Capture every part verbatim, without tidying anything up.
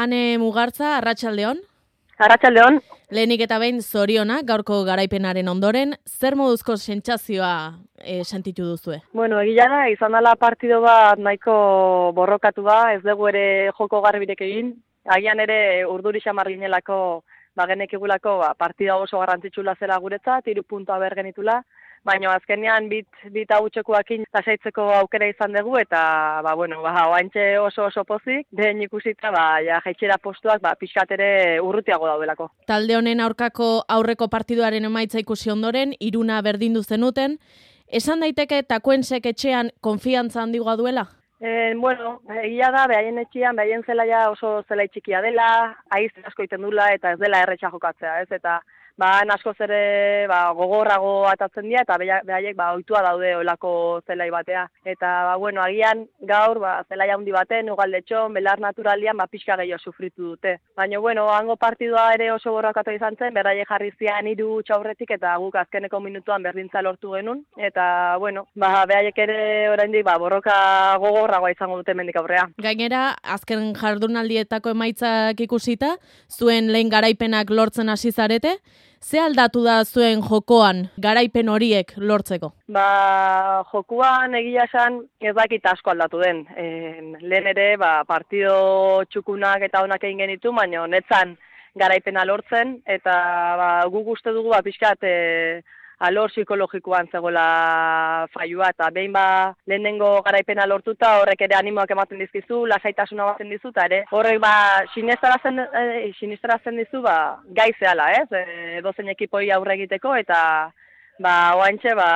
Ane Mugartza, arratsaldeon. Arratsaldeon. Lehenik eta behin zorionak gaurko garaipenaren ondoren, zer moduzko sentsazioa e, sentitu duzue? Bueno, egia da, izan dela partido bat nahiko borrokatu da, ez dugu ere joko garbirek egin. Agian ere urduri xamar ginelako, ba, genekigulako ba, partida oso garrantzitsula zela guretzat, hiru puntua ber genitula. Baina azkenean bit, bit hautsekoakin lasaitzeko aukera izan dugu eta ba, bueno, ba, oaintxe oso oso pozik, den ikusita ba, ja, jaitxera postuak ba, pixkat ere urrutiago daudelako. Talde honen aurkako aurreko partiduaren emaitza ikusi ondoren, iruna berdindu zenuten, esan daiteke Takuensek etxean konfiantza handigoa duela? Eh, bueno, egia da, behaien etxean, behaien zelaia oso zelai txikia dela, aiz asko iten dula eta ez dela erretxa jokatzea, ez, eta ba, askoz ere ba, gogorrago atatzen dira eta behaiek ba, ohitua daude olako zelai batea. Eta, ba, bueno, agian gaur ba, zelai handi baten, ugaldetxon, belar naturalian, ba, pixka gehiago sufritu dute. Baina, bueno, hango partidua ere oso borrakatu izan zen, berraiek jarri zian hiru txaurretik eta guk azkeneko minutuan berdintza lortu genuen. Eta, bueno, ba, behaiek ere oraindik ba, borroka gogorragoa izango dute mendik aurrea. Gainera, azken jardunaldietako emaitzak ikusita, zuen lehen garaipenak lortzen hasi zarete, ze aldatu da zuen jokoan garaipen horiek lortzeko? Ba, jokuan egia esan ez dakit asko aldatu den. E, lehen ere ba, partido txukunak eta onak egin genitu, baina netzan garaipena lortzen, eta ba, guk uste dugu ba, pixkat e, alor psikologikoan zegoela faiua, eta behin ba, lehenengo garaipena lortuta horrek ere animoak ematen dizkizu, lasaitasuna baten dizu, eta ere horrek ba, sinestarazen, e, sinestarazen dizu ba, gai zehala, ez? E, dozen ekipoi aurre egiteko, eta ba, oaintxe, ba,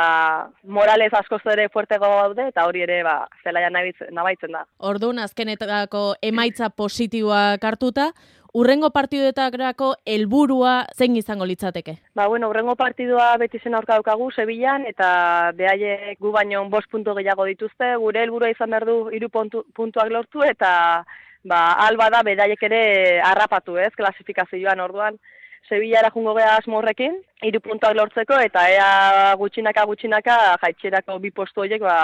moralez askoz ere fuertego daude, eta hori ere ba, zelaia nabaitzen da. Orduan, azkenetako emaitza positiboak hartuta, urrengo partiduetarako helburua zein izango litzateke? Ba, bueno, urrengo partidua beti zen aurka daukagu Sevillan, eta behaiek gu baino bost puntu gehiago dituzte, gure helburua izan behar du hiru puntuak lortu, eta ba, alba da bedaiek ere harrapatu, ez, klasifikazioan orduan. Sevillara jungo geha asmo horrekin, hiru puntuak lortzeko, eta ea gutxinaka gutxinaka jaitxerako bi postu horiek ba,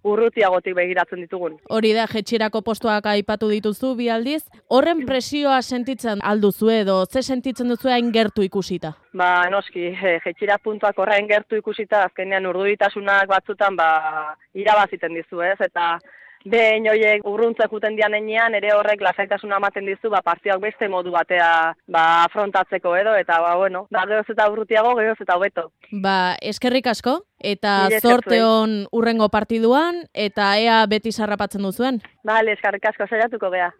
urrutiagotik begiratzen ditugun. Hori da, jaitxerako postuak aipatu dituzu bi aldiz. Horren presioa sentitzen alduzu edo, ze sentitzen duzu hain gertu ikusita? Ba, noski, jaitxera puntuak horrein gertu ikusita, azkenean urduditasunak batzutan ba, irabaziten dizu, ez, eta behin horiek urruntzek juten dian enean, ere horrek lasaitasuna ematen dizu, ba, partiak beste modu batea ba, afrontatzeko edo, eta ba, bueno, ba, gehoz eta urrutiago, gehoz eta hobeto. Ba, eskerrik asko, eta zorte hon urrengo partiduan, eta ea beti sarrapatzen duzuen. Bale, eskerrik asko saiatuko gea.